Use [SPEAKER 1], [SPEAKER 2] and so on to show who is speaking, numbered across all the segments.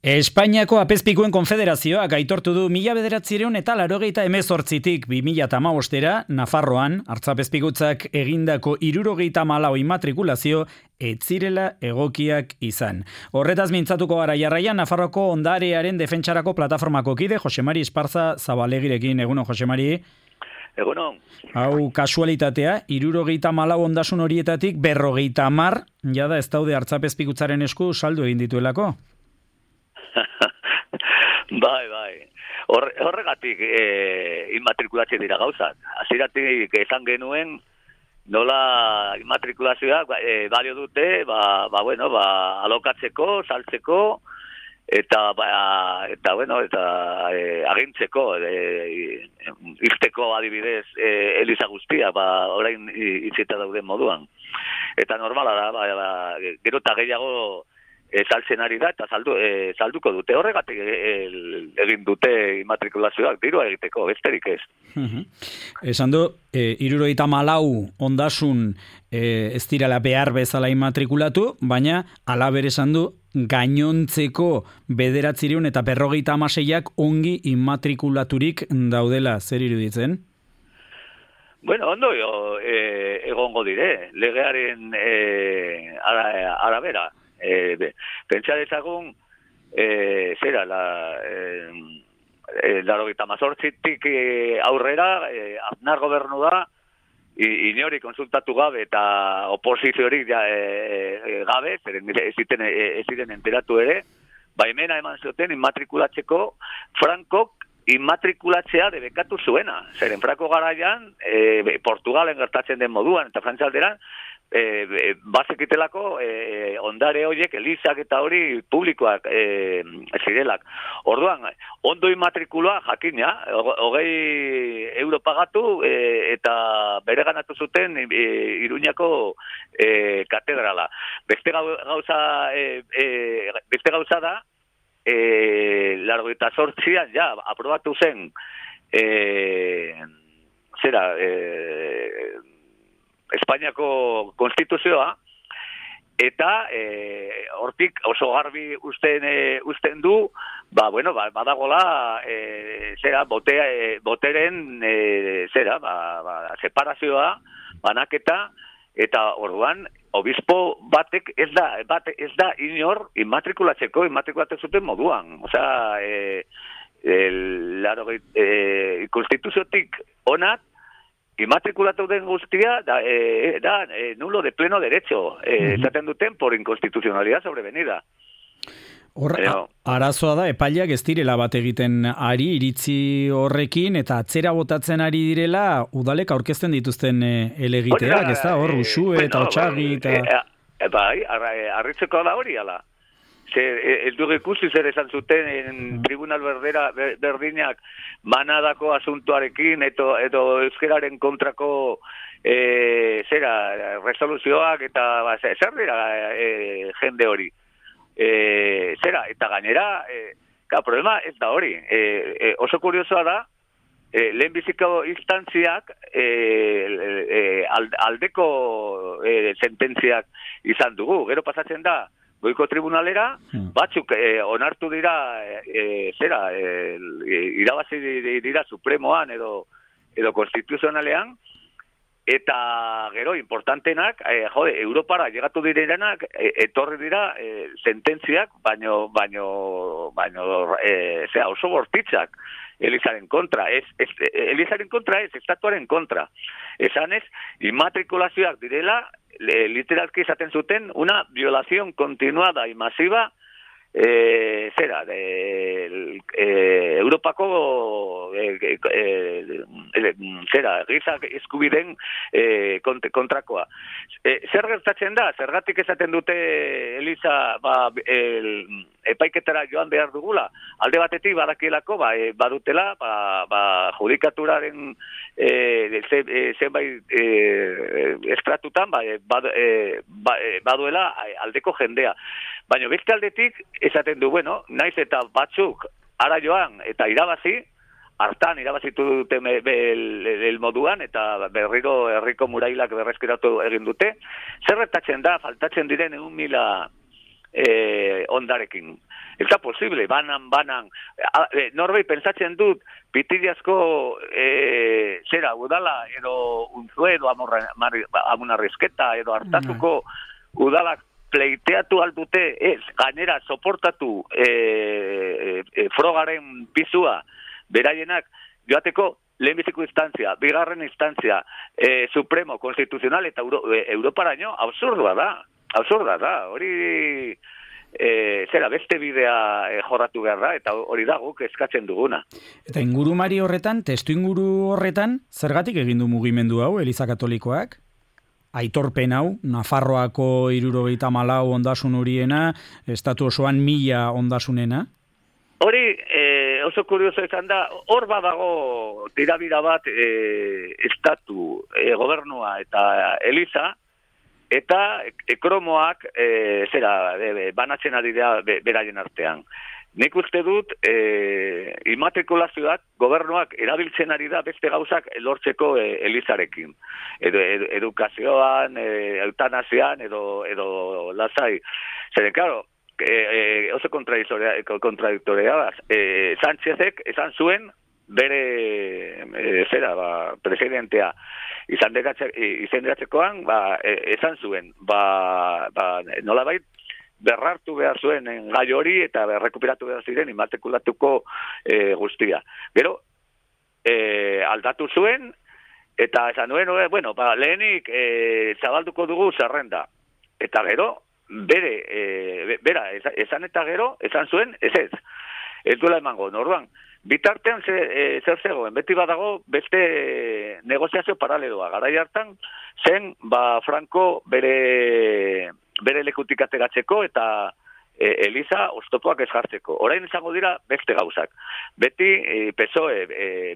[SPEAKER 1] Espainiako Apezpikuen Konfederazioak aitortu du 1988tik 2015 Nafarroan artzapezpikutzak egindako 74 immatrikulazio ez zirela egokiak izan. Horretaz mintzatuko gara jarraian Nafarroako ondarearen defentsarako plataformako kide Josemari Esparza Zabalegirekin. Egunon, Josemari.
[SPEAKER 2] Egunon.
[SPEAKER 1] Hau kasualitatea, 74 ondasun horietatik 50 jada ez daude artzapezpikutzaren esku saldu egin dituelako.
[SPEAKER 2] Bai. Horregatik immatrikulatzen dira gauzak. Hasieratik esan genuen nola immatrikulazioak balio dute, alokatzeko, saltzeko eta agintzeko irteko adibidez eliza guztia, orain itzita dauden moduan. Eta normala da, gero eta gehiago saltzen ari da eta salduko dute. Horregatik egin dute immatrikulazioak dirua egiteko, besterik ez.
[SPEAKER 1] Esan du, 74 ondasun ez direla behar bezala immatrikulatu, baina halaber esan du gainontzeko 900 eta 56ak ongi immatrikulaturik daudela. Zer iruditzen?
[SPEAKER 2] Bueno, ondo egongo dire, legearen arabera. Pentsa dezagun, laurogeita hemezortzitik aurrera, Aznar gobernu da, inori konsultatu gabe eta oposiziorik gabe, ez ziren enteratu ere, baimena eman zuten immatrikulatzeko Frankok immatrikulatzea debekatu zuena. Zeren Franko garaian, Portugalen gertatzen den moduan, eta Frantzialderan, bazekitelako ondare horiek, elizak eta hori publikoak zirelak. Orduan, ondo immatrikulua jakina, 20 euro pagatu eta bereganatu zuten Iruñako katedrala. Beste gauza da, 88an ja aprobatu zen Espainiako konstituzioa, eta hortik oso garbi usten du, badagola boteren separazioa, banaketa, eta orduan obispo batek ez da inor immatrikulatzen zuten moduan. Osea, konstituziotik onat immatrikulatu den guztia da nulo de pleno derecho, esaten duten por inconstitucionalidad sobrevenida.
[SPEAKER 1] Arazoa da, epaileak ez direla bat egiten ari iritzi horrekin, eta atzera botatzen ari direla udalek aurkezten dituzten elegiteak, ez da, hor, Uxue eta Otxagi eta...
[SPEAKER 2] Bai, arritzeko da hori, ala. Ez dugu ikusi zer esan zuten tribunal berdinak manadako asuntuarekin edo euskeraren kontrako resoluzioak eta zer dira jende hori. Eta gainera, problema ez da hori. Oso kuriosoa da, lehenbiziko instantziak aldeko sententziak izan dugu. Gero pasatzen da, goiko tribunalera, batzuk onartu dira, irabazi dira supremoan edo konstituzionalean, eta gero importantenak, Europara llegatu direnak, etorri dira sententziak, baino oso bortitzak Elizaren kontra. Elizaren kontra ez, estatuaren kontra. Esanez, immatrikulazioak direla, literalki esaten zuten, una violación continuada y masiva Europako giza eskubideen kontrakoa. Zer gertatzen da? Zergatik esaten dute Eliza epaiketara joan behar dugula? Alde batetik badakielako badutela judikaturaren zenbait estratutan baduela aldeko jendea. Baina beste aldetik esaten du, naiz eta batzuk ara joan eta irabazi, hartan irabazitu dute el moduan eta berriro herriko murailak berreskuratu egin dute. Zer gertatzen da, faltatzen diren 1.000 ondarekin. Ez da posible, banan. Norbait pentsatzen dut, pitillazko zera, udala, edo unzue, edo amunarrizketa, edo hartatuko udalak pleiteatu aldute, ez, gainera, soportatu frogaren pizua, beraienak, joateko, lehenbiziko instantzia, bigarren instantzia, supremo, konstituzional, eta Europaraino, absurda da, hori... zera beste bidea jorratu behar da, eta hori da guk eskatzen duguna.
[SPEAKER 1] Eta ingurumari horretan, testu inguru horretan, zergatik egin du mugimendu hau, Eliza Katolikoak? Aitorpen hau, Nafarroako 74 ondasun horiena, estatu osoan 1000 ondasunena?
[SPEAKER 2] Hori oso kurioso izan da, hor badago tirabira bat estatu, gobernua eta Eliza, eta ekromoak banatzen ari da beraien artean. Nik uste dut immatrikulazioak gobernuak erabiltzen ari da beste gauzak lortzeko Elizarekin. Edukazioan, eutanasian edo lasai. Zeren, claro, oso kontradiktorea da. Sánchezek esan zuen bere presidentea izendatzekoan esan zuen nolabait berrartu behar zuen gai hori eta berrekuperatu behar ziren immatrikulatuko guztia. Gero aldatu zuen eta esan nuen, lehenik zabalduko dugu zerrenda. Eta gero bera esan eta gero esan zuen ez duela emango. Orduan, bitartean zer zegoen, beti badago beste negoziazio paraleloa. Garai hartan zen Franco bere lekutik ateratzeko eta Eliza oztopoak ez jartzeko. Orain izango dira beste gauzak. Beti PSOE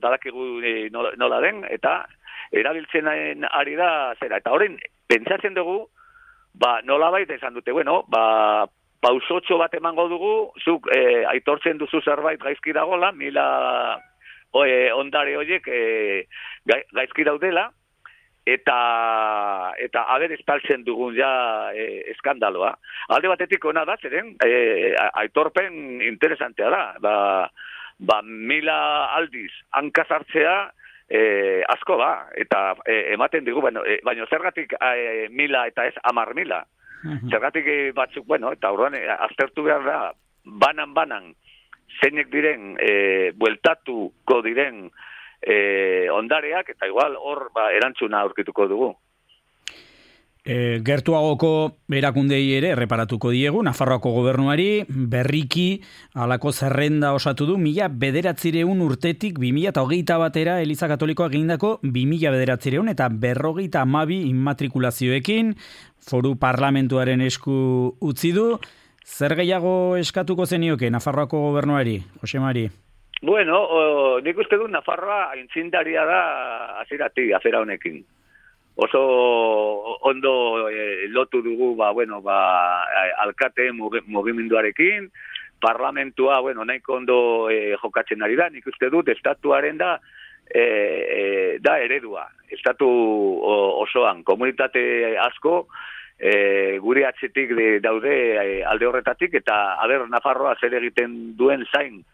[SPEAKER 2] badakigu nola den eta erabiltzen ari da zera. Eta orain pentsatzen dugu nolabait esan dute, pausotxo bat emango dugu, zuk aitortzen duzu zerbait gaizki dagola, 1000 ondare horiek gaizki daudela, eta aber estaltzen dugun ja eskandaloa. Alde batetik ona da, zeren, aitorpen interesantea da. 1000 aldiz hankazartzea asko da, eta ematen digu, baina zergatik 1000 eta ez 10.000. Zergatik batzuk, eta orduan aztertu behar da, banan, zeinek diren, bueltatuko diren ondareak, eta igual hor erantzuna aurkituko dugu.
[SPEAKER 1] Gertuagoko erakundei ere erreparatuko diegu, Nafarroako gobernuari berriki halako zerrenda osatu du 1900 urtetik 2021 batera Eliza Katolikoak egindako 2900 eta 52 immatrikulazioekin foru parlamentuaren esku utzi du. Zer gehiago eskatuko zenioke Nafarroako gobernuari, Jose Mari?
[SPEAKER 2] Nik uste du Nafarroa aintzindaria da hasieratik afera honekin. Oso ondo lotu dugu alkate mugimenduarekin, parlamentua nahiko ondo jokatzen ari da, nik uste dut estatuaren da eredua, estatu osoan, komunitate asko gure atzetik daude alde horretatik, eta Nafarroa zer egiten duen zain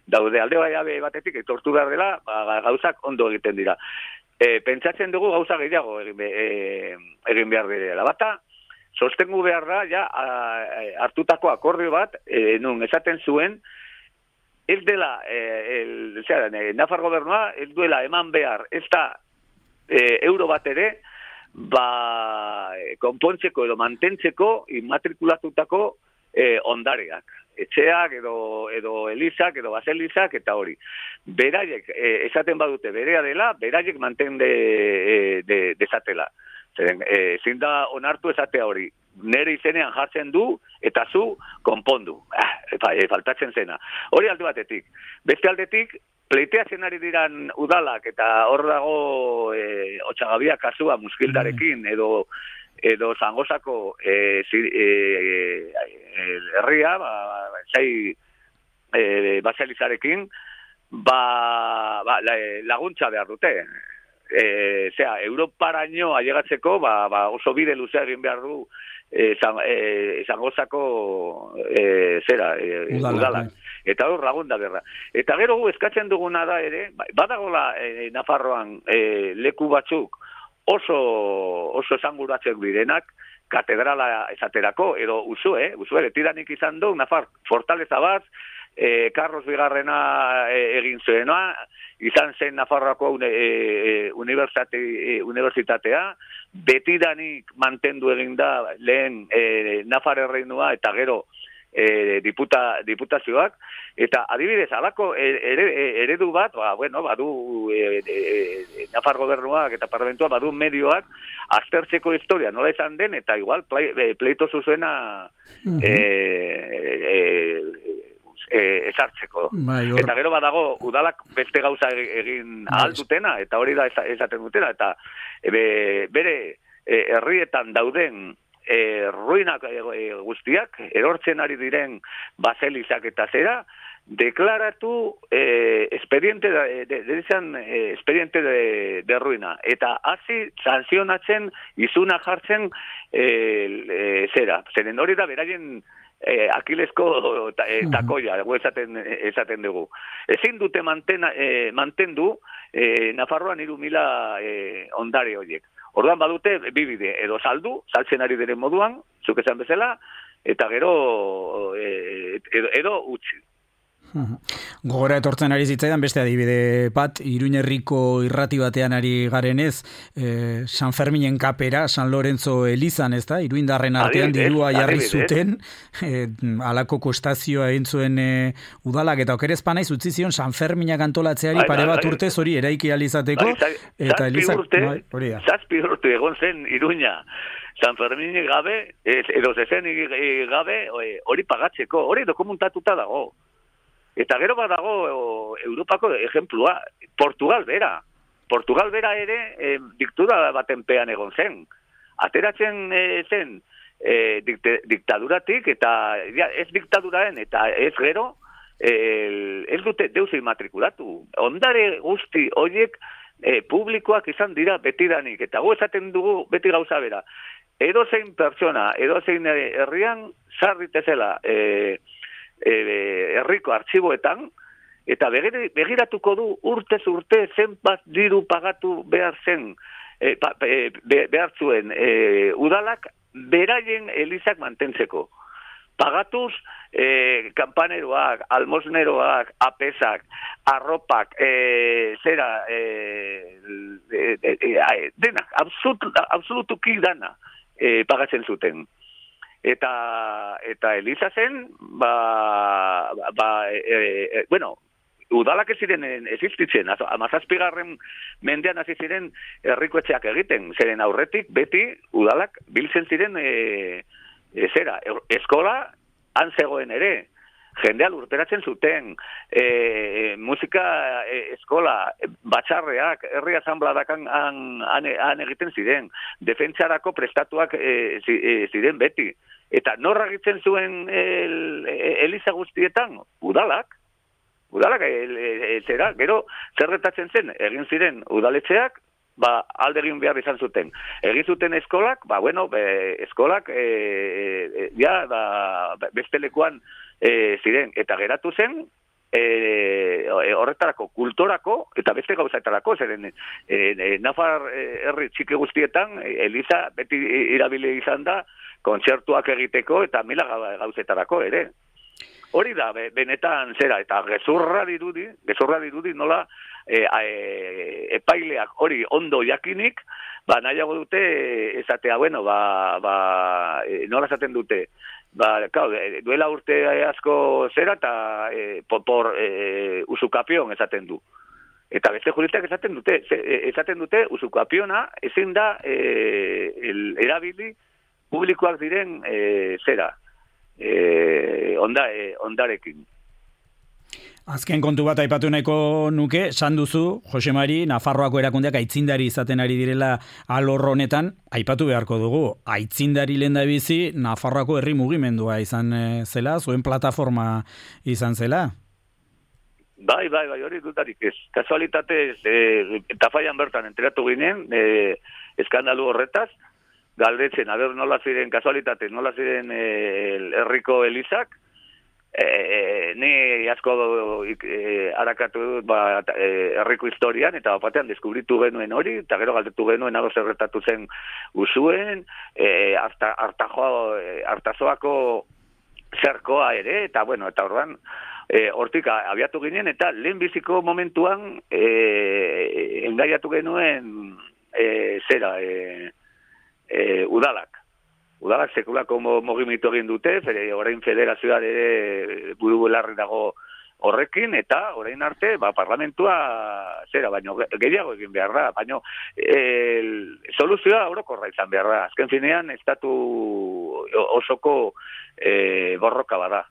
[SPEAKER 2] daude alde batetik, etortu behar dela, gauzak ondo egiten dira. Pentsatzen dugu gauza gehiago egin behar dela. Bata, sostengu behar da, hartutako akordio bat, nun esaten zuen, ez dela, Nafar gobernua, ez duela eman behar, ez da euro bat ere, konpontzeko edo mantentzeko immatrikulatutako ondareak. Etxeak edo elizak edo baselizak eta hori. Beraiek esaten badute berea dela, beraiek manten dezatela. Zin da onartu esatea hori. Nere izenean jartzen du eta zu konpondu. Faltatzen zena. Hori alde batetik. Beste aldetik, pleiteatzen ari diran udalak eta hor dago Otxagabia kasua muskildarekin edo Zangozako herria, baselizarekin, laguntza behar dute. Europaraino ailegatzeko, oso bide luzea egin behar du Zangozako udala. Eta hor lagun da berra. Eta gero gu eskatzen duguna da ere, badagola Nafarroan leku batzuk oso esanguratzek direnak, katedrala esaterako, edo Usue betidanik izan du, Nafar fortaleza bat, Carlos Bigarrena egin zuena, izan zen Nafarroako unibertsitatea, betidanik mantendu egin da lehen Nafar erreinua eta gero diputazioak, eta adibidez, alako eredu bat, badu Nafar gobernuak eta parlamentua badu medioak aztertzeko historia, nola izan den, eta igual pleito zuzuena esartzeko. Eta gero badago, udalak beste gauza egin ahal dutena, eta hori da esaten dutena, eta bere herrietan dauden ruinak guztiak, erortzen ari diren baselizak eta zera, deklaratu expediente de ruina, eta hasi sanzionatzen, izuna jartzen zeren hori da beraien Akilesko takoia, esaten dugu. Ezin dute mantendu Nafarroan 3.000 ondare horiek. Orduan badute bibide, edo saltzen ari diren moduan, zuk esan bezala, eta gero edo utzi.
[SPEAKER 1] Gogora etortzen ari zitzaidan beste adibide bat, Iruin herriko irrati batean ari garenez, San Ferminen kapera, San Lorenzo elizan, ez da? Iruindarren artean dirua jarri zuten, alako kostazioa egin zuen udalak, eta okerez panaiz utzi zion San Ferminak antolatzeari pare bat urtez hori eraiki alizateko, eta elizak...
[SPEAKER 2] Zazpi urte egon zen Iruina, San Ferminik gabe, edo zezenik gabe, hori pagatzeko, hori dokumentatuta dago. Eta gero badago Europako ejemplua, Portugal bera ere diktura baten pean egon zen. Ateratzen zen diktaduratik, eta ez diktaduraen, eta ez gero, ez dute deus immatrikulatu. Ondare guzti horiek publikoak izan dira betidanik, eta gu esaten dugu beti gauza bera. Edozein pertsona, edozein herrian, sarritezela herriko artxiboetan, eta begiratuko du urtez urte zenbat diru pagatu behar zen, behar zuen udalak beraien elizak mantentzeko. Pagatuz kampaneroak, almosneroak, apesak, arropak, denak, absolutuki dana pagatzen zuten. Eta Eliza zen, udalak ez ziren existitzen, 17. mendean hasi ziren herriko etxeak egiten, zeren aurretik beti udalak biltzen ziren eskola han zegoen ere, jendea lurperatzen zuten, musika eskola, batxarreak, herri asanbladak han egiten ziren, defentsarako prestatuak ziren beti. Eta norra egiten zuen eliza guztietan? Udalak, gero zerretatzen zen, egin ziren udaletxeak, alde egin behar izan zuten. Egin zuten eskolak, eskolak beste lekuan ziren, eta geratu zen, horretarako, kultorako, eta beste gauzaetarako, zeren Nafar herri txiki guztietan, eliza beti irabile izan da, kontzertuak egiteko, eta mila gauzetarako ere. Hori da, benetan zera, eta gezurra dirudi nola epaileak hori ondo jakinik, nahiago dute esatea, nola esaten dute, duela urte asko zera, eta por usukapion esaten du. Eta beste juristak esaten dute usukapiona ezin da erabili publikoak diren ondarekin.
[SPEAKER 1] Azken kontu bat aipatu nahiko nuke, esan duzu, Jose Mari, Nafarroako erakundeak aitzindari izaten ari direla alor honetan, aipatu beharko dugu. Aitzindari lehendabizi Nafarroako herri mugimendua izan zela, zuen plataforma izan zela?
[SPEAKER 2] Bai, hori dutarik ez. Kasualitatez, Tafaian bertan enteratu ginen, eskandalu horretaz, galdetzen, nola ziren, kasualitate, nola ziren herriko elizak, ni asko harakatu dut herriko historian, eta batean deskubritu genuen hori, eta gero galdetu genuen ado zerretatu zen usuen, hartazoako zerkoa ere, eta eta orduan, hortik abiatu ginen, eta lehenbiziko momentuan engaiatu genuen udalak. Udalak sekulako mugimendu egin dute, orain federazioa ere buru belarri dago horrekin, eta orain arte, parlamentua baino gehiago egin behar da, baino soluzioa orokorra izan behar da. Azken finean, estatu osoko borroka bada.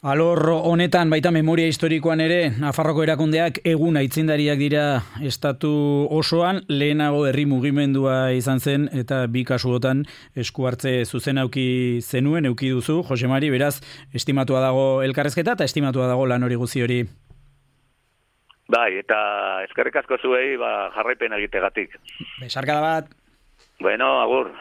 [SPEAKER 1] Alor honetan, baita memoria historikoan ere, Nafarroko erakundeak egun aitzindariak dira estatu osoan, lehenago herri mugimendua izan zen, eta bi kasuotan esku hartze zuzen auki zenuen, euki duzu, Jose Mari, beraz, estimatua dago elkarrezketa, eta estimatua dago lan hori guzi hori.
[SPEAKER 2] Bai, eta eskerrik asko zuei jarraipen egitegatik.
[SPEAKER 1] Besarkada bat.
[SPEAKER 2] Bueno, agur.